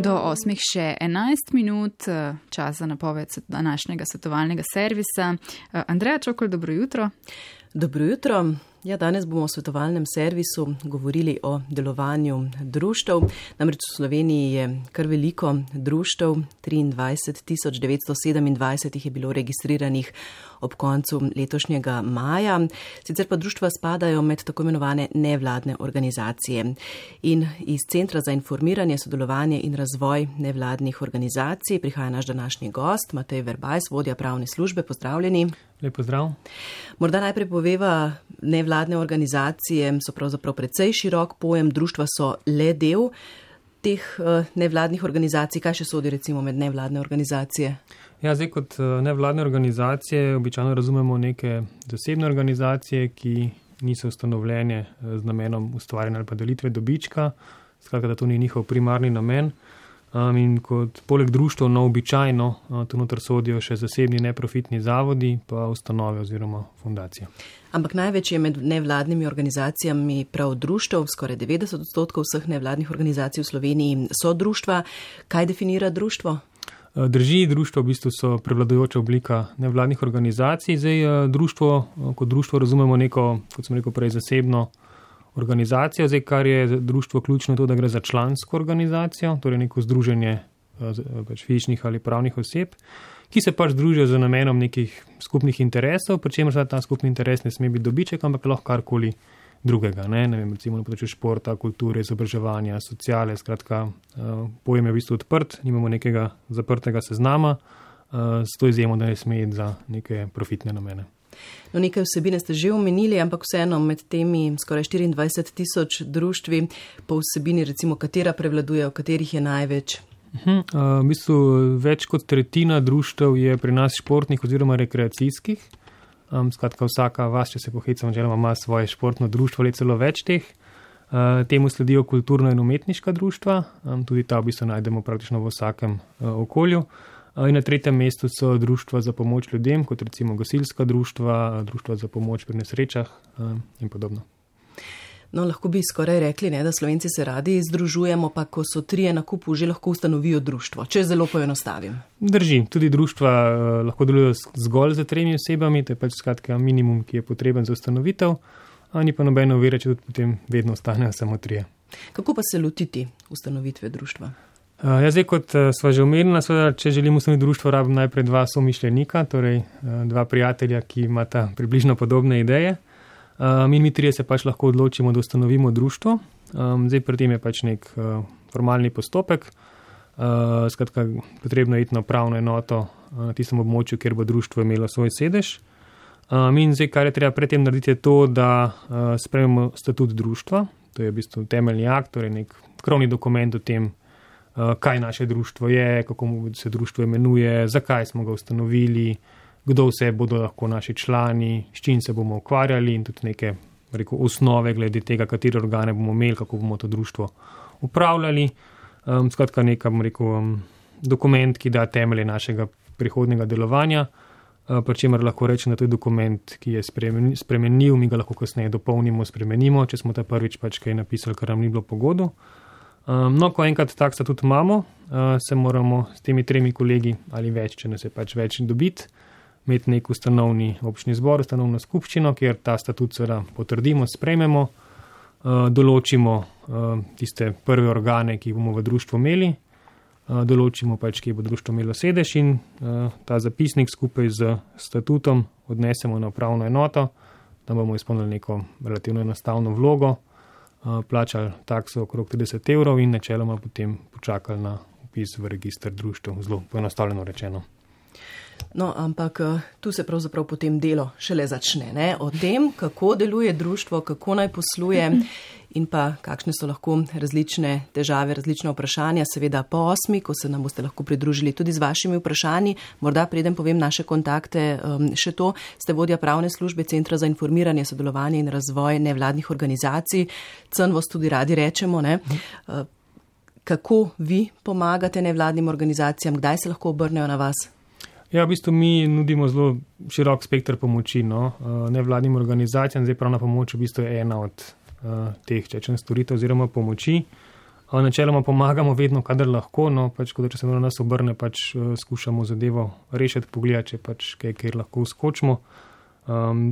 Do 8 še 11 minut, čas za napoved današnjega svetovalnega servisa. Andreja Čokol, dobro jutro. Dobro jutro. Ja, danes bomo v svetovalnem servisu govorili o delovanju društev. Namreč v Sloveniji je kar veliko društev, 23.927 jih je bilo registriranih ob koncu letošnjega maja. Sicer pa društva spadajo med tako imenovane nevladne organizacije. In iz Centra za informiranje, sodelovanje in razvoj nevladnih organizacij prihaja naš današnji gost, Matej Verbajs, vodja pravne službe. Pozdravljeni. Lep pozdrav. Morda najprej poveva, nevladne organizacije so pravzaprav precej širok pojem, društva so le del teh nevladnih organizacij. Kaj še sodi recimo med nevladne organizacije? Ja, zdaj kot nevladne organizacije običajno razumemo neke zasebne organizacije, ki niso ustanovljene z namenom ustvarjanja ali pa delitve dobička, skratka, da to ni njihov primarni namen. In kot poleg društva običajno tu noter sodijo še zasebni neprofitni zavodi, pa ustanove oziroma fundacije. Ampak največ je med nevladnimi organizacijami prav društev, skoraj 90% vseh nevladnih organizacij v Sloveniji so društva. Kaj definira društvo? Drži, društvo v bistvu so prevladujoča oblika nevladnih organizacij. Zdaj društvo, kot društvo razumemo neko, kot sem rekel prej, zasebno organizacijo. Zdaj, kar je društvo ključno, to, da gre za člansko organizacijo, torej neko združenje fizičnih ali pravnih oseb, ki se pač združijo z namenom nekih skupnih interesov, pri čemer ta skupni interes ne sme biti dobiček, ampak lahko karkoli drugega. Ne vem, recimo na področju športa, kulture, izobraževanja, sociale, skratka, pojem je v bistvu odprt, nimamo nekega zaprtega seznama, s to izjemo, da ne sme iti za neke profitne namene. No, nekaj vsebine ste že omenili, ampak vseeno med temi skoraj 24,000 društvi po vsebini, recimo, katera prevladuje, v katerih je največ? V bistvu več kot tretjina društev je pri nas športnih oziroma rekreacijskih. Skratka, vsaka vas, če se pohecam, želimo, ima svoje športno društvo ali celo več teh. Temu sledijo kulturno in umetniška društva, tudi ta v bistvu najdemo praktično v vsakem okolju. In na tretjem mestu so društva za pomoč ljudem, kot recimo gasilska društva, društva za pomoč pri nesrečah in podobno. No, lahko bi skoraj rekli, ne, da Slovenci se radi združujemo, pa ko so trije na kupu, že lahko ustanovijo društvo, če zelo poenostavim. Drži, tudi društva lahko delujejo zgolj za 3 osebami, to je pač skratka minimum, ki je potreben za ustanovitev, ni pa nobeno ovira, če tudi potem vedno ostanejo samo 3. Kako pa se lotiti ustanovitve društva? Ja, zdaj, kot sva že omenila, seveda, če želimo ustanoviti društvo, rabim najprej 2 somišljenika, torej 2 prijatelja, ki imata približno podobne ideje. Mi 3 se pač lahko odločimo, da ustanovimo društvo. Zdaj, pri tem je pač nek formalni postopek. Skratka, potrebno je iti na upravno enoto na tistem območju, kjer bo društvo imelo svoj sedež. In zdaj, kar je treba pred tem narediti, je to, da sprejmemo statut društva. To je v bistvu temeljni akt, torej nek krovni dokument o tem, kaj naše društvo je, kako se društvo imenuje, zakaj smo ga ustanovili, kdo vse bodo lahko naši člani, s čim se bomo ukvarjali in tudi neke osnove glede tega, katere organe bomo imeli, kako bomo to društvo upravljali. Skratka, dokument, ki da temelje našega prihodnjega delovanja, pri čemer lahko rečem, da to je dokument, ki je spremenljiv, mi ga lahko kasneje dopolnimo, spremenimo, če smo ta prvič pač kaj napisali, kar nam ni bilo pogodu. No, ko enkrat tak statut imamo, se moramo s temi 3 kolegi ali več, če nas je pač več dobiti, imeti nek ustanovni občni zbor, ustanovno skupščino, kjer ta statut seveda potrdimo, sprejmemo, določimo tiste prve organe, ki bomo v društvu imeli, določimo pač, kje bo društvo imelo sedež in ta zapisnik skupaj z statutom odnesemo na upravno enoto, da bomo izpolnili neko relativno enostavno vlogo, plačali takso okrog 30 evrov in načeloma potem počakali na vpis v register društev, zelo poenostavljeno rečeno. No, ampak tu se pravzaprav potem delo šele začne, ne? O tem, kako deluje društvo, kako naj posluje in pa kakšne so lahko različne težave, različne vprašanja, seveda po 8, ko se nam boste lahko pridružili tudi z vašimi vprašanji. Morda preden povem naše kontakte, še to, ste vodja pravne službe Centra za informiranje, sodelovanje in razvoj nevladnih organizacij. CNVOS tudi radi rečemo, ne? Kako vi pomagate nevladnim organizacijam, kdaj se lahko obrnejo na vas? Ja, v bistvu mi nudimo zelo širok spektr pomoči, nevladnim organizacijam. Zdaj pravna pomoč v bistvu je ena od teh storitev oziroma pomoči. Načeloma pomagamo vedno, kadar lahko, no pač, če se na nas obrne, pač skušamo zadevo rešiti, pogledati, če pač kjer lahko uskočimo.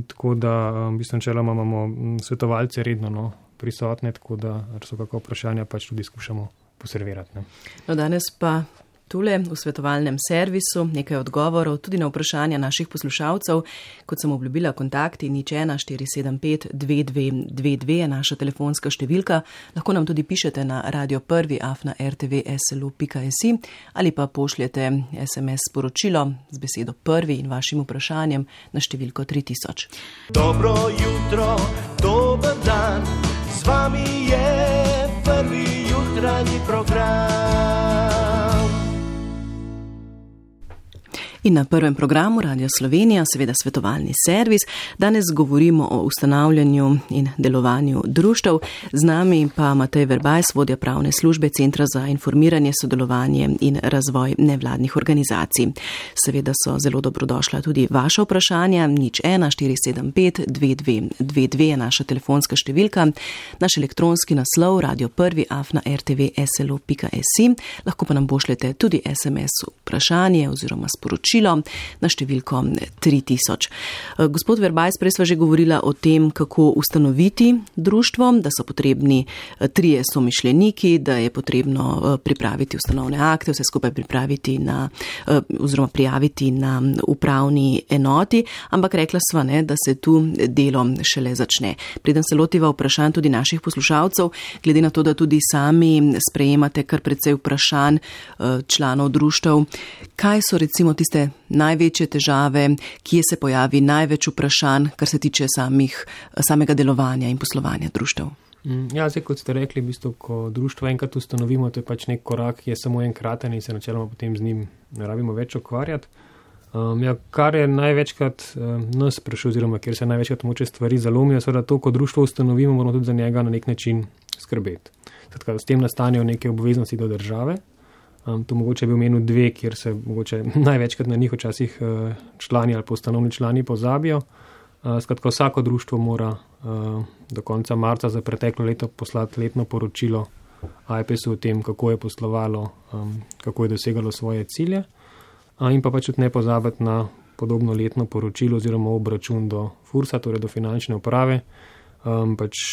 Tako da v bistvu načeloma imamo svetovalce redno prisotne, tako da so kako vprašanja pač tudi skušamo poservirati. Ne. No, danes pa tule v svetovalnem servisu nekaj odgovorov tudi na vprašanja naših poslušalcev. Kot sem obljubila, kontakti 01 475 2222 je naša telefonska številka. Lahko nam tudi pišete na radio1@rtvslu.si ali pa pošljete SMS sporočilo z besedo prvi in vašim vprašanjem na številko 3000. Dobro jutro, dober dan, z vami je prvi jutranji program. In na prvem programu Radio Slovenija, seveda svetovalni servis, danes govorimo o ustanavljanju in delovanju društev. Z nami pa Matej Verbajs, vodja pravne službe Centra za informiranje, sodelovanje in razvoj nevladnih organizacij. Seveda so zelo dobrodošla tudi vaša vprašanja. 01 475 2222 je naša telefonska številka, naš elektronski naslov radio1@rtvslu.si. Lahko pa nam pošljete tudi SMS vprašanje oziroma sporočilo na številko 3000. Gospod Verbajs, prej sva že govorila o tem, kako ustanoviti društvo, da so potrebni 3 somišljeniki, da je potrebno pripraviti ustanovne akte, vse skupaj pripraviti oziroma prijaviti na upravni enoti, ampak rekla sva, da se tu delo šele začne. Preden se lotiva vprašanj tudi naših poslušalcev, glede na to, da tudi sami sprejemate kar precej vprašanj članov društev, kaj so recimo tiste največje težave, kje se pojavi največ vprašanj, kar se tiče samega delovanja in poslovanja društev? Ja, zdaj, kot ste rekli, v bistvu, ko društvo enkrat ustanovimo, to je pač nek korak, ki je samo enkraten in se načeloma potem z njim ne rabimo več ukvarjati. Kar je največkrat nas sprašuje, oziroma kjer se največkrat moče stvari zalomijo, seveda to, ko društvo ustanovimo, moramo tudi za njega na nek način skrbeti. S tem nastanejo neke obveznosti do države. To mogoče bi omenil 2, kjer se mogoče največkrat na njih včasih člani ali pa ustanovni člani pozabijo. Skratka, vsako društvo mora do konca marca za preteklo leto poslati letno poročilo AIPES-u o tem, kako je poslovalo, kako je dosegalo svoje cilje. In pa pač tudi ne pozabiti na podobno letno poročilo oziroma obračun do FURS-a, torej do finančne uprave.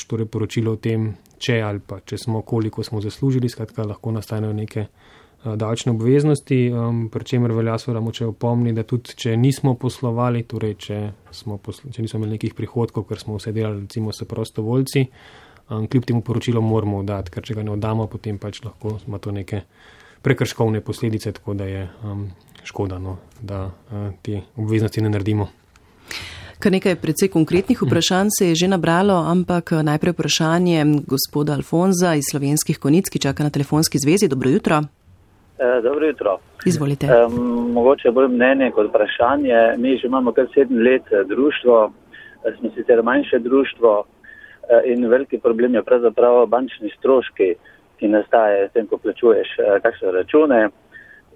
Torej poročilo o tem, če ali pa če smo, koliko smo zaslužili, skratka lahko nastanejo neke davčne obveznosti, pri čemer velja seveda moče opomniti, da tudi če nismo poslovali, torej če nismo imeli nekih prihodkov, ker smo vse delali recimo s prostovoljci, kljub temu poročilo moramo oddati, ker če ga ne oddamo, potem pač lahko ima to neke prekrškovne posledice, tako da je škoda, da te obveznosti ne naredimo. Kar nekaj precej konkretnih vprašanj se je že nabralo, ampak najprej vprašanje gospoda Alfonza iz Slovenskih Konjic, ki čaka na telefonski zvezi. Dobro jutro. Dobro jutro. Izvolite. Mogoče bolj mnenje kot vprašanje. Mi že imamo kar 7 let društvo, smo sicer manjše društvo in veliki problem je pravzaprav bančni stroški, ki nastaje s tem, ko plačuješ kakšne račune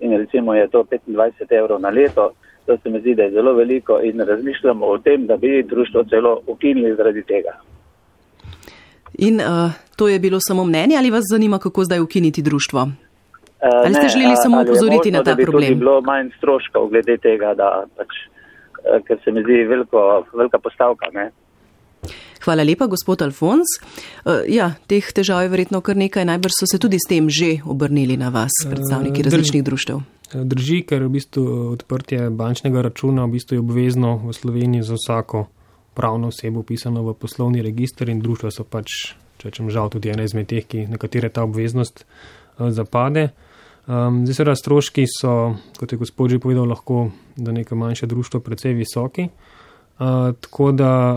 in recimo je to 25 evrov na leto. To se mi zdi, da je zelo veliko in razmišljamo o tem, da bi društvo celo ukinili zaradi tega. In to je bilo samo mnenje ali vas zanima, kako zdaj ukiniti društvo? Ali ste želeli samo upozoriti na ta problem? Ali je možno, da bi tudi bilo manj stroškov glede tega, da ker se mi zdi velika postavka, ne? Hvala lepa, gospod Alfons. Teh težav je verjetno kar nekaj, najbrž so se tudi s tem že obrnili na vas, predstavniki različnih društev. Drži, ker v bistvu odprtje bančnega računa v bistvu je obvezno v Sloveniji za vsako pravno osebo upisano v poslovni register in društva so pač, če rečem žal, tudi ena izmed teh, na katere ta obveznost zapade. Zdaj seveda stroški so, kot je gospod že povedal, lahko za neko manjše društvo precej visoki. Tako da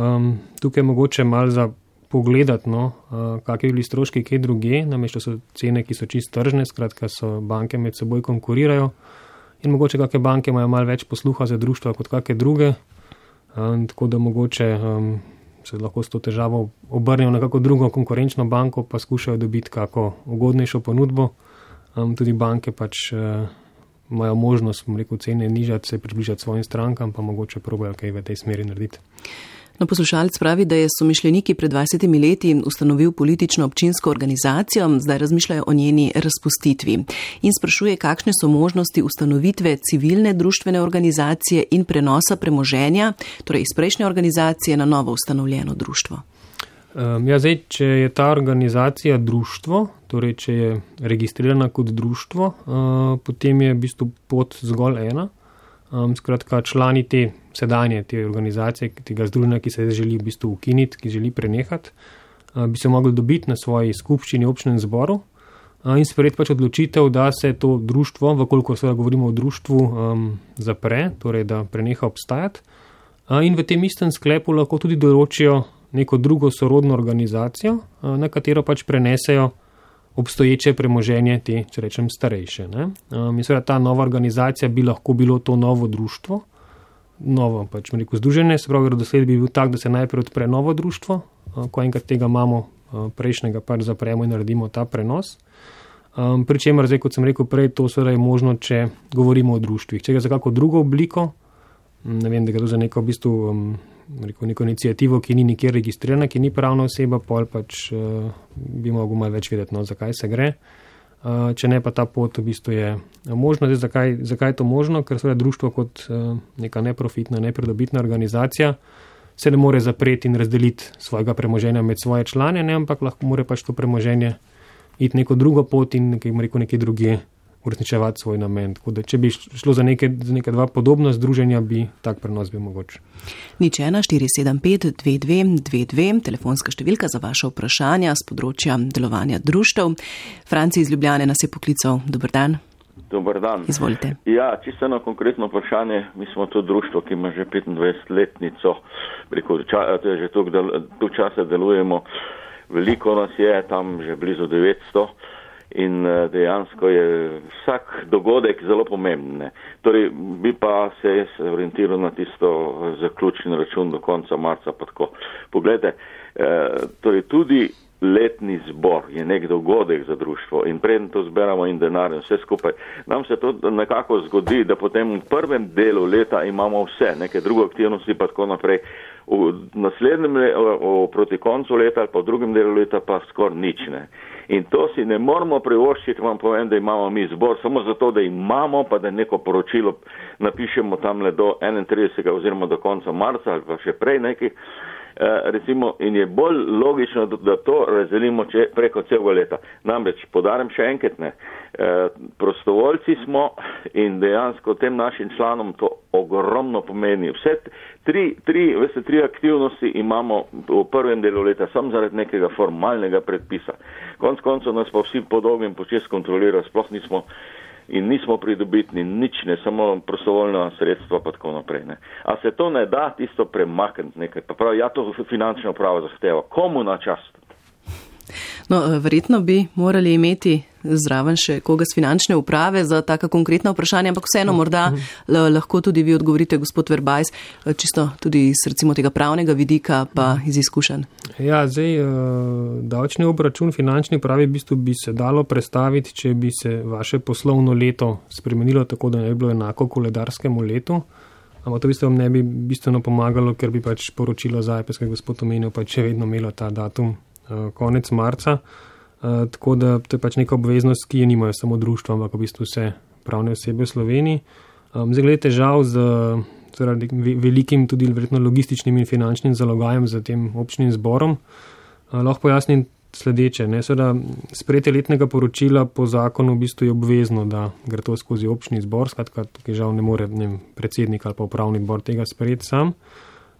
tukaj je mogoče malo za pogledati, kakšni bili stroški kje druge, namesto so cene, ki so čisto tržne, skratka so banke med seboj konkurirajo in mogoče kakšne banke imajo malo več posluha za društva kot kakšne druge, tako da mogoče se lahko s to težavo obrnejo na kako drugo konkurenčno banko, pa skušajo dobiti kako ugodnejšo ponudbo. Tudi banke pač imajo možnost, cene nižati, se približati svojim strankam, pa mogoče probajo kaj v tej smeri narediti. No, poslušalec pravi, da je somišljeniki pred 20 leti ustanovil politično občinsko organizacijo, zdaj razmišljajo o njeni razpustitvi in sprašuje, kakšne so možnosti ustanovitve civilne društvene organizacije in prenosa premoženja, torej iz prejšnje organizacije na novo ustanovljeno društvo. Zdaj, če je ta organizacija društvo, torej če je registrirana kot društvo, potem je v bistvu pot zgolj ena. Skratka, člani te sedanje te organizacije, tega združenja, ki se želi v bistvu ukiniti, ki želi prenehati, bi se mogli dobiti na svoji skupščini občnem zboru in sprejeti pač odločitev, da se to društvo, vkolikor seveda govorimo o društvu, zapre, torej da preneha obstajati. In v tem istem sklepu lahko tudi določijo neko drugo sorodno organizacijo, na katero pač prenesejo obstoječe premoženje te, če rečem, starejše. In seveda ta nova organizacija bi lahko bilo to novo društvo, novo pač združenje, se pravi, dosled bi bil tak, da se najprej odpre novo društvo, ko enkrat tega imamo, prejšnjega pač zapremo in naredimo ta prenos. Pričemer, zdaj, kot sem rekel prej, to seveda je možno, če govorimo o društvih. Če ga za kako drugo obliko, ne vem, da ga to za neko v bistvu neko inicijativo, ki ni nikjer registrirana, ki ni pravna oseba, pol pač bi mogel malo več vedeti, zakaj se gre. Če ne, pa ta pot v bistvu je možno. Zdaj, zakaj je to možno? Ker seveda društvo kot neka neprofitna, nepridobitna organizacija se ne more zapreti in razdeliti svojega premoženja med svoje člane, ampak lahko more pač to premoženje iti neko drugo pot in nekaj druge uresničevati svoj namen. Tako da, če bi šlo za neke dva podobna združenja, bi tak prenos bil mogoč. 014752222, telefonska številka za vaše vprašanja z področja delovanja društev. Franci iz Ljubljane nas je poklical. Dober dan. Dober dan. Izvolite. Ja, čisto eno konkretno vprašanje. Mi smo to društvo, ki ima že 25-letnico, že tu časa delujemo. Veliko nas je, tam že blizu 900. In dejansko je vsak dogodek zelo pomemben. Torej, bi pa se orientiral na tisto zaključni račun do konca marca. Pa tako. Poglejte, torej tudi letni zbor je nek dogodek za društvo in preden to zberamo in denar in vse skupaj. Nam se to nekako zgodi, da potem v prvem delu leta imamo vse, neke druge aktivnosti pa tako naprej. V naslednjem proti koncu leta ali pa v drugem delu leta pa skoraj nič ne. In to si ne moramo privoščiti, vam povem, da imamo mi zbor, samo zato, da imamo, pa da neko poročilo napišemo tamle do 31. oziroma do konca marca ali pa še prej nekaj, recimo, in je bolj logično, da to razdelimo preko celega leta. Namreč, podarim še enkrat, prostovoljci smo in dejansko tem našim članom to ogromno pomeni. Vse tri aktivnosti imamo v prvem delu leta, samo zaradi nekega formalnega predpisa. Konec koncev nas pa vsi po dolgem počes kontrolirajo, sploh nismo pridobitni, nič ne, samo prostovoljna sredstva pa tako naprej. A se to ne da tisto premakniti nekaj? Pa pravi, ja, to finančna uprava zahteva. Komu na čast? No, verjetno bi morali imeti zraven še koga z finančne uprave za taka konkretna vprašanja, ampak vseeno morda lahko tudi vi odgovorite, gospod Verbajs, čisto tudi iz recimo tega pravnega vidika pa iz izkušenj. Ja, zdaj davčni obračun finančni upravi v bistvu bi se dalo predstaviti, če bi se vaše poslovno leto spremenilo tako, da ne bi bilo enako koledarskemu letu. Ampak to v bistvu vam ne bi bistveno pomagalo, ker bi pač poročilo ZAIPES, ki je gospod omenil, pač še vedno imelo ta datum konec marca, tako da to je pač neka obveznost, ki je nimajo samo društva, ampak v bistvu vse pravne osebe v Sloveniji. Zdaj glede težav z velikim tudi verjetno logističnim in finančnim zalogajem za tem občnim zborom, lahko pojasnim sledeče. Seveda sprejetje letnega poročila po zakonu v bistvu je obvezno, da gre to skozi občni zbor, skratka, tukaj žal ne more predsednik ali pa upravni odbor tega sprejeti sam.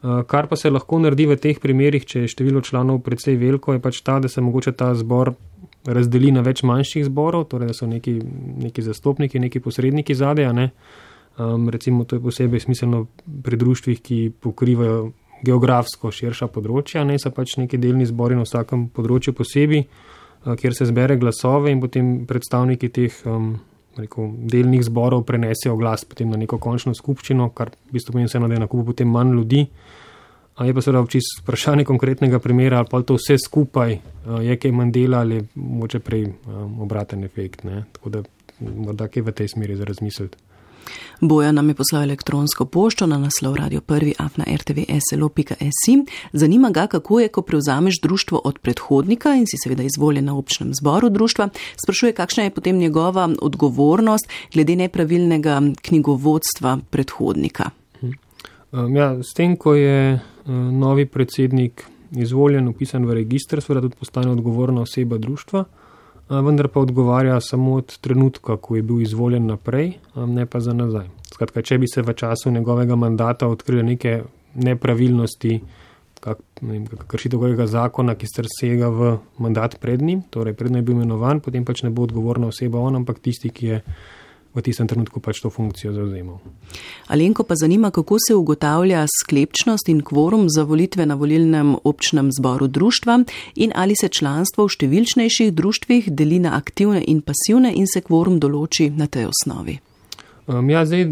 Kar pa se lahko naredi v teh primerih, če je število članov precej veliko, je pač ta, da se mogoče ta zbor razdeli na več manjših zborov, torej da so neki zastopniki, neki posredniki zadaj. Recimo to je posebej smiselno pri društvih, ki pokrivajo geografsko širša področja, so pač neki delni zbori na vsakem področju posebej, kjer se zbere glasove in potem predstavniki teh delnih zborov prenesejo glas potem na neko končno skupščino, kar v bistvu pomeni vseeno, da je na kupu potem manj ljudi. Je pa seveda čisto vprašanje konkretnega primera, ali pa to vse skupaj je kaj manj dela ali mogoče prej obraten efekt. Tako da morda kaj v tej smeri za razmisliti. Bojan nam je poslal elektronsko pošto na naslov radio1@rtvslo.si. Zanima ga, kako je, ko prevzameš društvo od predhodnika in si seveda izvoljen na občnem zboru društva. Sprašuje, kakšna je potem njegova odgovornost glede nepravilnega knjigovodstva predhodnika. Ja, s tem, ko je novi predsednik izvoljen, upisan v register, seveda tudi postane odgovorna oseba društva, vendar pa odgovarja samo od trenutka, ko je bil izvoljen naprej, ne pa za nazaj. Skratka, če bi se v času njegovega mandata odkrile neke nepravilnosti, kršitev kakega zakona, ki sega v mandat pred njim, torej predno je bil imenovan, potem pač ne bo odgovorna oseba on, ampak tisti, ki je v tistem trenutku pač to funkcijo zavzemal. Alenko pa zanima, kako se ugotavlja sklepčnost in kvorum za volitve na volilnem občnem zboru društva in ali se članstvo v številčnejših društvih deli na aktivne in pasivne in se kvorum določi na tej osnovi. Zdaj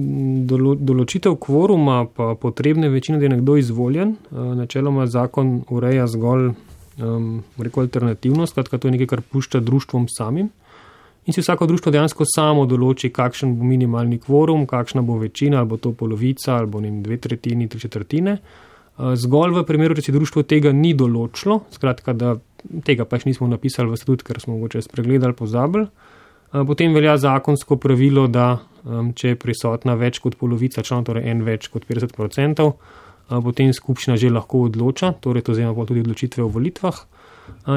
določitev kvoruma pa potrebne večine, da je nekdo izvoljen. Načeloma zakon ureja zgolj alternativnost, skratka to je nekaj, kar pušča društvom samim. In si vsako društvo dejansko samo določi, kakšen bo minimalni kvorum, kakšna bo večina, ali bo to polovica, ali bo 2/3, 3/4. Zgolj v primeru, če si društvo tega ni določilo, skratka, da tega pač nismo napisali v statut, ker smo mogoče spregledali, pozabili, potem velja zakonsko pravilo, da če je prisotna več kot polovica članov, torej en več kot 50%, potem skupščina že lahko odloča, torej to zajema tudi odločitve o volitvah.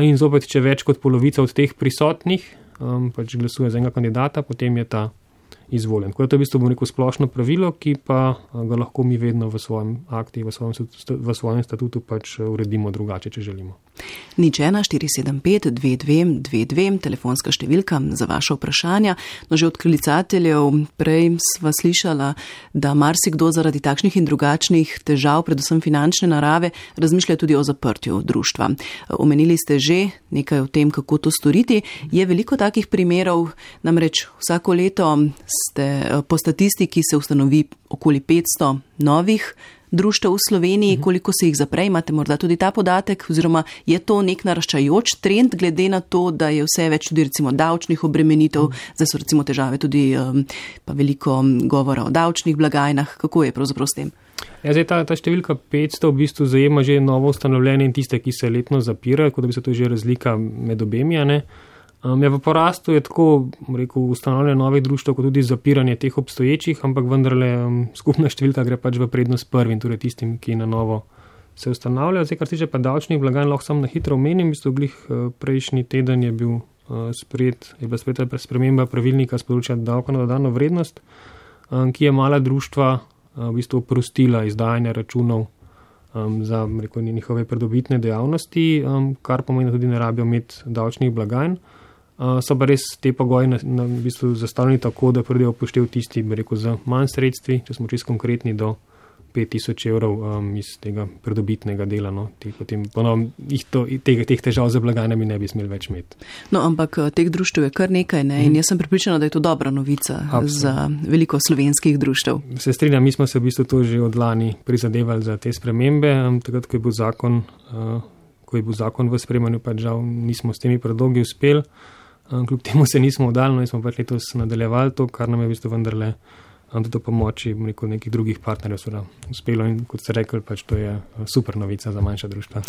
In zopet, če več kot polovica od teh prisotnih pač glasuje za enega kandidata, potem je ta izvoljen. Tako da to je v bistvu splošno pravilo, ki pa ga lahko mi vedno v svojem akti, v svojem statutu pač uredimo drugače, če želimo. 01 475 2222, telefonska številka za vaše vprašanja. No, že od klicateljev prej sva slišala, da marsikdo zaradi takšnih in drugačnih težav, predvsem finančne narave, razmišlja tudi o zaprtju društva. Omenili ste že nekaj o tem, kako to storiti. Je veliko takih primerov, namreč vsako leto po statistiki se ustanovi okoli 500 novih društev v Sloveniji. Koliko se jih zapre, imate morda tudi ta podatek, oziroma je to nek naraščajoč trend, glede na to, da je vse več tudi recimo davčnih obremenitev, zdaj so recimo težave tudi pa veliko govora o davčnih blagajnah. Kako je pravzaprav s tem? Zdaj ta številka 500 v bistvu zajema že novo ustanovljene in tiste, ki se letno zapirajo, kot da bi se to že razlika med obemi, ne? V porastu je tako, ustanovljanje novih društev, kot tudi zapiranje teh obstoječih, ampak vendarle skupna številka gre pač v prednost prvim, torej tistim, ki na novo se ustanavljajo. Zdaj, kar se tiče pa davčnih blagajn, lahko samo na hitro omenim, prejšnji teden je bila sprejeta sprememba pravilnika s področja davka na dodano vrednost, ki je mala društva oprostila izdajanje računov za njihove pridobitne dejavnosti, kar pomeni, da tudi ne rabijo imeti davčnih blagajn. So pa res te pogoji zastavljeni tako, da pridejo upoštev tisti, z manj sredstvi, če smo čisto konkretni, do 5000 evrov iz tega pridobitnega dela. No. Potem ponovno teh težav za blagajnami ne bi smeli več imeti. No, ampak teh društev je kar nekaj, ne? In jaz sem pripričana, da je to dobra novica za veliko slovenskih društev. Se strinjam, mi smo se v bistvu to že od lani prizadevali za te spremembe. Takrat, ko je bil zakon v sprejemanju, pač žal nismo s temi predlogi uspeli. Kljub temu se nismo vdali, in smo pač letos nadaljevali to, kar nam je v bistvu vendarle tudi pomoči nekih drugih partnerjev uspelo, in kot ste rekli, pač to je super novica za manjša društva.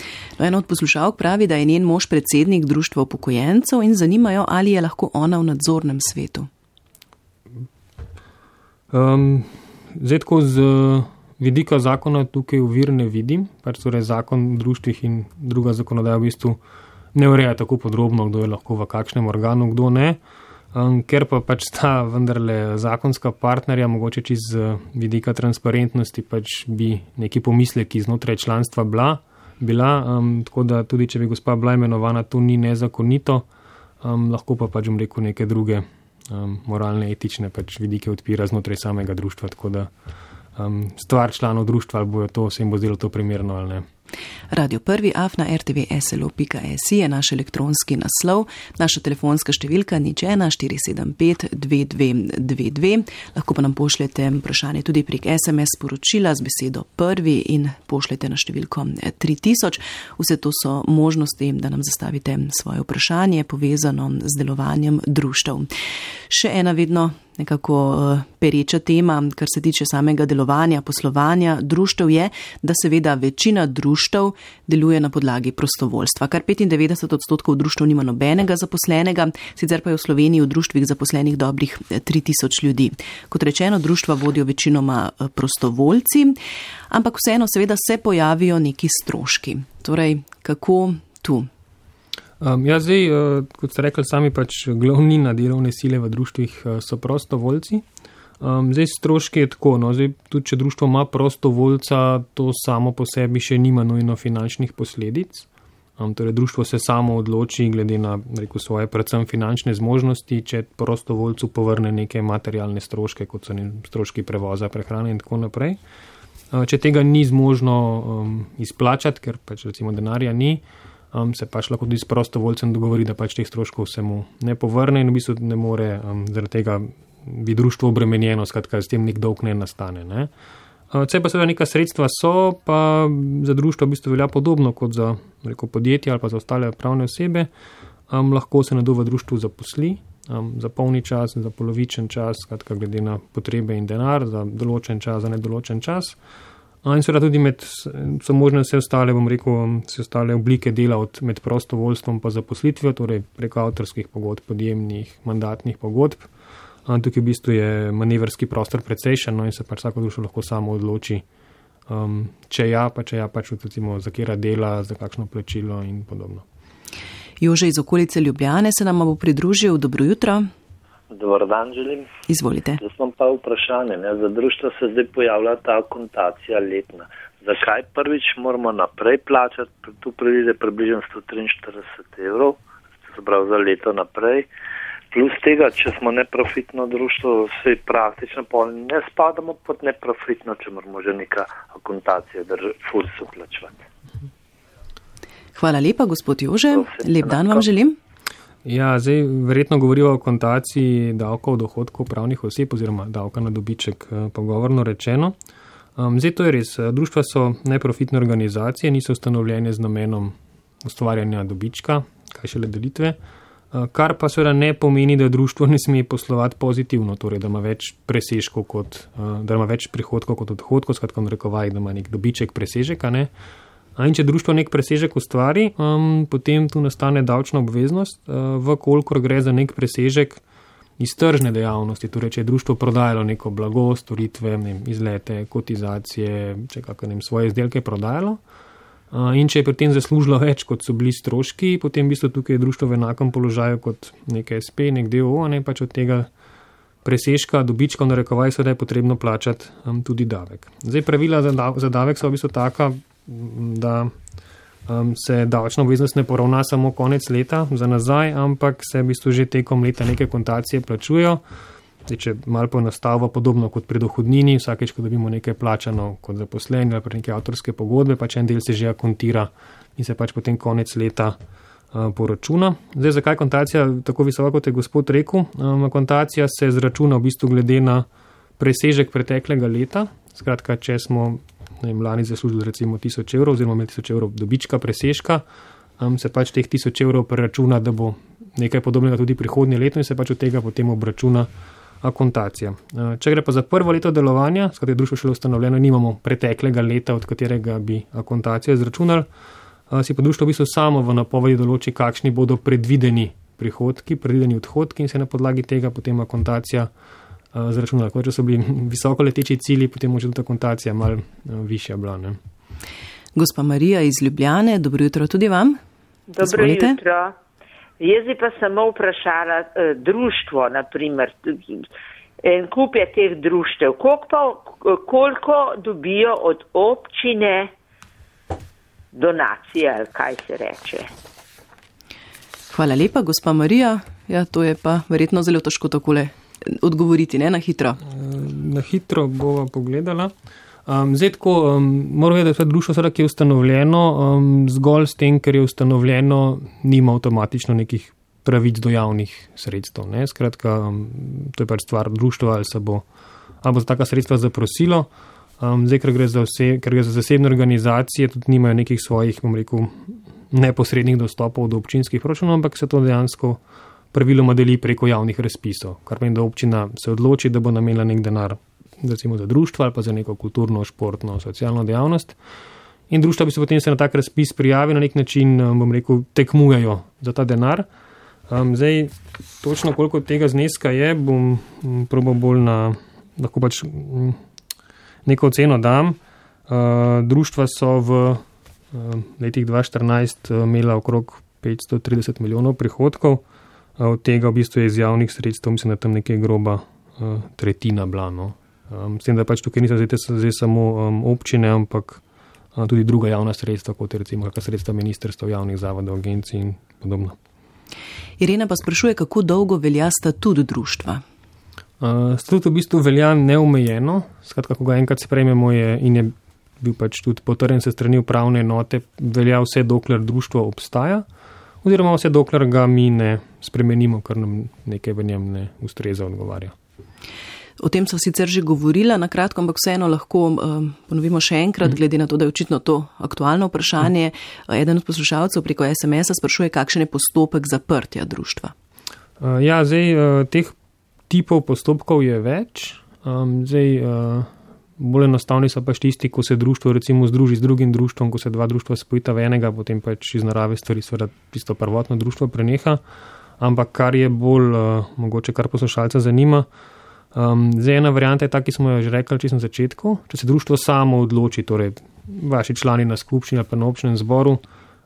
Ena od poslušalk pravi, da je njen mož predsednik društva upokojencev in zanimajo, ali je lahko ona v nadzornem svetu. Zdaj tako z vidika zakona tukaj ovir ne vidim, pač torej zakon v društvih in druga zakonodaja v bistvu ne ureja tako podrobno, kdo je lahko v kakšnem organu, kdo ne. Ker pa pač sta vendarle zakonska partnerja, mogoče čez vidika transparentnosti, pač bi neki pomisleki znotraj članstva bila, tako da tudi če bi gospa bila imenovana, to ni nezakonito, lahko pa pač neke druge moralne, etične pač vidike odpira znotraj samega društva, tako da stvar članov društva, ali bojo to, se jim bo zdelo to primerno ali ne. radio1@rtvslo.si je naš elektronski naslov, naša telefonska številka 01 475 2222. Lahko pa nam pošljete vprašanje tudi prek SMS sporočila z besedo prvi in pošljete na številko 3000. Vse to so možnosti, da nam zastavite svoje vprašanje povezano z delovanjem društev. Še ena vedno nekako pereča tema, kar se tiče samega delovanja, poslovanja društev je, da seveda večina društev deluje na podlagi prostovoljstva. Kar 95% društev nima nobenega zaposlenega, sicer pa je v Sloveniji v društvih zaposlenih dobrih 3000 ljudi. Kot rečeno, društva vodijo večinoma prostovoljci, ampak vseeno seveda se pojavijo neki stroški. Torej, kako tu? Zdaj, kot ste rekli sami, pač glavnina delovne sile v društvih so prostovoljci. Zdaj, stroški je tako, zdaj, tudi če društvo ima prostovoljca, to samo po sebi še nima nujno finančnih posledic. Torej, društvo se samo odloči glede na, svoje predvsem finančne zmožnosti, če prostovoljcu povrne neke materialne stroške, kot so stroški prevoza, prehrane in tako naprej. Če tega ni zmožno izplačati, ker pač recimo denarja ni, se pač lahko tudi s prostovoljcem dogovori, da pač teh stroškov se mu ne povrne in v bistvu ne more, zaradi tega bi društvo obremenjeno, skratka, s tem nek dolg ne nastane. Ne. Če pa seveda neka sredstva so, pa za društvo v bistvu velja podobno kot za podjetje ali pa za ostale pravne osebe, lahko se nekdo v društvu zaposli za polni čas, za polovičen čas, skratka, glede na potrebe in denar, za določen čas, za nedoločen čas. In seveda tudi so možne vse ostale, vse ostale oblike dela med prostovoljstvom pa zaposlitvijo, torej preko avtorskih pogodb, podjemnih, mandatnih pogodb. Tukaj v bistvu je manevrski prostor precejšen, in se pač vsako društvo lahko samo odloči, če ja, pač recimo za katera dela, za kakšno plačilo in podobno. Jože iz okolice Ljubljane se nam bo pridružil. Dobro jutro. Dobar dan želim. Izvolite. Jaz imam pa vprašanje. Za društvo se zdaj pojavlja ta akontacija letna. Zakaj prvič moramo naprej plačati? Tu pride približno 143 €, se pravi za leto naprej. Plus tega, če smo neprofitno društvo, se praktično ne spadamo pod neprofitno, če moramo že neka akontacija FURS-u plačevati. Hvala lepa, gospod Jože. Lep dan vam želim. Ja, zdaj verjetno govorijo o akontaciji davka od dohodkov pravnih oseb oziroma davka na dobiček, pogovorno rečeno. Zdaj to je res. Društva so neprofitne organizacije, niso ustanovljene z namenom ustvarjanja dobička, kaj šele delitve, kar pa seveda ne pomeni, da društvo ne sme poslovati pozitivno, torej da ima več presežkov da ima več prihodkov kot odhodkov, skratka narekovaj, da ima nek dobiček, presežek, a ne. In če društvo nek presežek ustvari, potem tu nastane davčna obveznost, vkolikor gre za nek presežek iz tržne dejavnosti, torej če je društvo prodajalo neko blago, storitve, izlete, kotizacije, če svoje izdelke prodajalo. In če je pri tem zaslužilo več, kot so bili stroški, potem v bistvu tukaj je društvo v enakem položaju kot nek SP, nek DOO, pač od tega presežka, dobička, narekovaj, seveda je potrebno plačati tudi davek. Zdaj pravila za davek so v bistvu taka, da se davčna obveznost ne poravna samo konec leta za nazaj, ampak se v bistvu že tekom leta neke kontacije plačujejo. Zdaj, če malo poenostavimo, podobno kot pri dohodnini, vsakeč, ko dobimo nekaj plačano kot zaposleni ali pa neke avtorske pogodbe, pač en del se že akontira in se pač potem konec leta poračuna. Zdaj, zakaj kontacija tako visoka, kot je gospod rekel? Kontacija se zračuna v bistvu glede na presežek preteklega leta. Skratka, če smo lani zaslužili recimo 1000 € oziroma imeli 1000 € dobička, presežka, se pač teh 1000 € preračuna, da bo nekaj podobnega tudi prihodnje leto in se pač od tega potem obračuna akontacija. Če gre pa za prvo leto delovanja, s katerim je društvo šele ustanovljeno, nimamo preteklega leta, od katerega bi akontacijo izračunali, si pa društvo v bistvu samo v napovedi določi, kakšni bodo predvideni prihodki, predvideni odhodki in se na podlagi tega potem akontacija zračunala. Če so bili visoko leteči cilji, potem može tudi akontacija malo višja bila. Ne? Gospa Marija iz Ljubljane, dobro jutro tudi vam. Dobro jutro. Jaz bi pa samo vprašala društvo, naprimer, en kup je teh društev. Koliko dobijo od občine donacije, ali kaj se reče? Hvala lepa, gospa Marija. Ja, to je pa verjetno zelo težko takole odgovoriti, ne, na hitro. Na hitro bova pogledala. Zdaj tako, moram vedeti, da je društvo, ki je ustanovljeno, zgolj s tem, ker je ustanovljeno, nima avtomatično nekih pravic do javnih sredstev. Ne? Skratka, to je pač stvar društva, ali bo za taka sredstva zaprosilo. Zdaj, ker gre za zasebne organizacije, tudi nimajo nekih svojih, neposrednih dostopov do občinskih proračunov, ampak se to dejansko praviloma deli preko javnih razpisov, kar pomeni, da občina se odloči, da bo namenila nek denar recimo za društvo ali pa za neko kulturno, športno, socialno dejavnost. In društva bi se potem na tak razpis prijavili, na nek način, tekmujejo za ta denar. Zdaj, točno koliko tega zneska je, bom probal bolj lahko pač neko oceno dam. Društva so v letih 2014 imela okrog 530 milijonov prihodkov, od tega v bistvu je iz javnih sredstev, mislim, da tam nekaj groba tretjina bila. No. S tem, da pač tukaj niso zdaj samo občine, ampak tudi druga javna sredstva, kot je recimo kakšna sredstva ministrstva, javnih zavodov, agencij in podobno. Irena pa sprašuje, kako dolgo velja statut društva? Statut v bistvu velja neomejeno, skratka, ko ga enkrat sprejmemo in je bil pač tudi potrjen se strani upravne enote, velja vse dokler društvo obstaja, oziroma vse dokler ga mi ne spremenimo, ker nam nekaj v njem ne ustreza, odgovarja. O tem so sicer že govorila na kratko, ampak vseeno lahko ponovimo še enkrat, glede na to, da je očitno to aktualno vprašanje. Eden od poslušalcev preko SMS-a sprašuje, kakšen je postopek zaprtja društva. Ja, zdaj teh tipov postopkov je več. Bolj enostavni so pač tisti, ko se društvo recimo združi z drugim društvom, ko se dva društva spojita v enega, potem pač iz narave stvari seveda tisto prvotno društvo preneha. Ampak kar je bolj mogoče, kar poslušalca zanima, zdaj ena varianta je ta, ki smo jo že rekli čisto na začetku. Če se društvo samo odloči, torej vaši člani na skupščini ali pa na občnem zboru,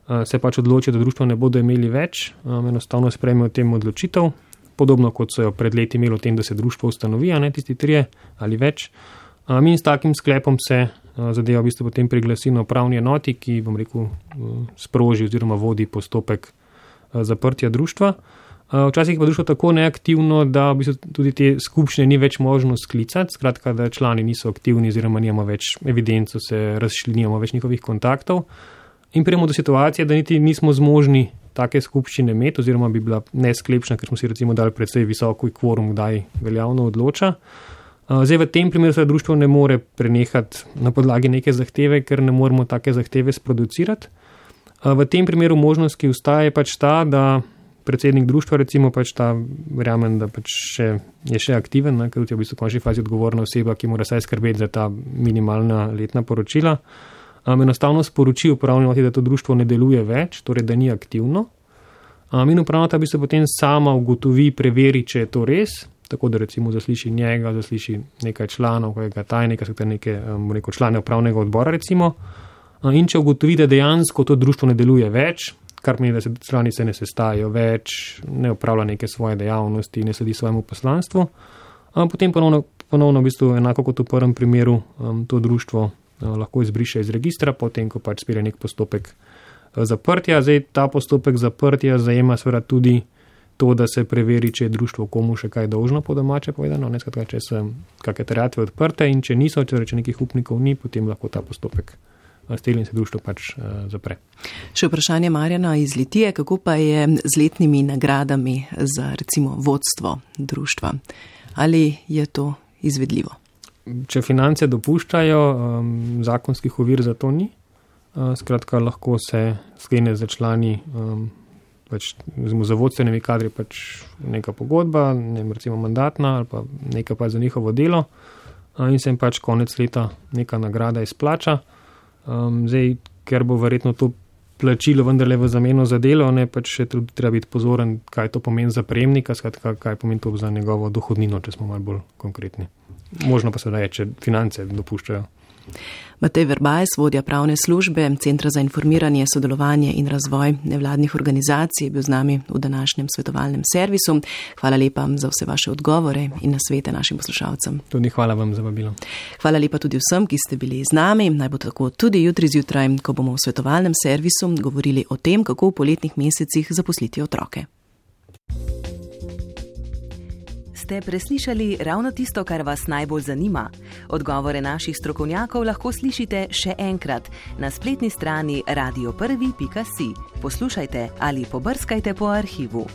se pač odloči, da društvo ne bodo imeli več, enostavno sprejmejo tem odločitev, podobno kot so jo pred leti imeli o tem, da se društvo ustanovi, ne tisti 3 ali več. In s takim sklepom se zadeva v bistvu potem priglasi na upravni enoti, ki, sproži oziroma vodi postopek zaprtja društva. Včasih pa društvo tako neaktivno, da v bistvu tudi te skupščine ni več možno sklicati, skratka, da člani niso aktivni oziroma nimamo več evidenco, se razšli, nimamo več njihovih kontaktov. In prijemo do situacije, da niti nismo zmožni take skupščine imeti oziroma bi bila nesklepčna, ker smo si recimo dali precej visoko kvorum, kdaj veljavno odloča. Zdaj v tem primeru se društvo ne more prenehati na podlagi neke zahteve, ker ne moremo take zahteve sproducirati. V tem primeru možnost, ki ustaja, je pač ta, da predsednik društva recimo pač ta, verjamem, da pač je še aktiven, ker je v bistvu v končni fazi odgovorna oseba, ki mora saj skrbeti za ta minimalna letna poročila. Enostavno sporoči upravni enoti, da to društvo ne deluje več, torej da ni aktivno. In upravna enota bi se potem sama ugotovi, preveri, če je to res, tako da recimo zasliši njega, zasliši nekaj članov, kojega tajnika, nekaj člane upravnega odbora recimo. In če ugotovi, da dejansko to društvo ne deluje več, kar pomeni, da se člani se ne sestajajo več, ne opravlja neke svoje dejavnosti, ne sledi svojemu poslanstvu, potem ponovno v bistvu enako kot v prvem primeru to društvo lahko izbriše iz registra, potem ko pač spelje nek postopek zaprtja. Zdaj ta postopek zaprtja zajema seveda tudi to, da se preveri, če je društvo komu še kaj dolžno, po domače povedano, skratka, če so kakšne terjatve odprte in če niso, če nekih upnikov ni, potem lahko ta postopek steli in se društvo pač zapre. Še vprašanje Marjana iz Litije, kako pa je z letnimi nagradami za recimo vodstvo društva? Ali je to izvedljivo? Če finance dopuščajo, zakonskih ovir za to ni. Skratka, lahko se sklene za člani pač za vodstvenimi kadri pač neka pogodba, recimo mandatna ali pa neka pa za njihovo delo in se jim pač konec leta neka nagrada izplača. Zdaj, ker bo verjetno to plačilo vendarle v zameno za delo, pač še treba biti pozoren, kaj to pomeni za prejemnika, skratka, kaj pomeni to za njegovo dohodnino, če smo malo bolj konkretni. Možno pa se da je, če finance dopuščajo. Matej Verbajs, vodja pravne službe Centra za informiranje, sodelovanje in razvoj nevladnih organizacij, je bil z nami v današnjem svetovalnem servisu. Hvala lepa za vse vaše odgovore in nasvete našim poslušalcem. Tudi hvala vam za vabilo. Hvala lepa tudi vsem, ki ste bili z nami. Naj bo tako tudi jutri zjutraj, ko bomo v svetovalnem servisu govorili o tem, kako v poletnih mesecih zaposliti otroke. Ste preslišali ravno tisto, kar vas najbolj zanima? Odgovore naših strokovnjakov lahko slišite še enkrat na spletni strani radio1.si. Poslušajte ali pobrskajte po arhivu.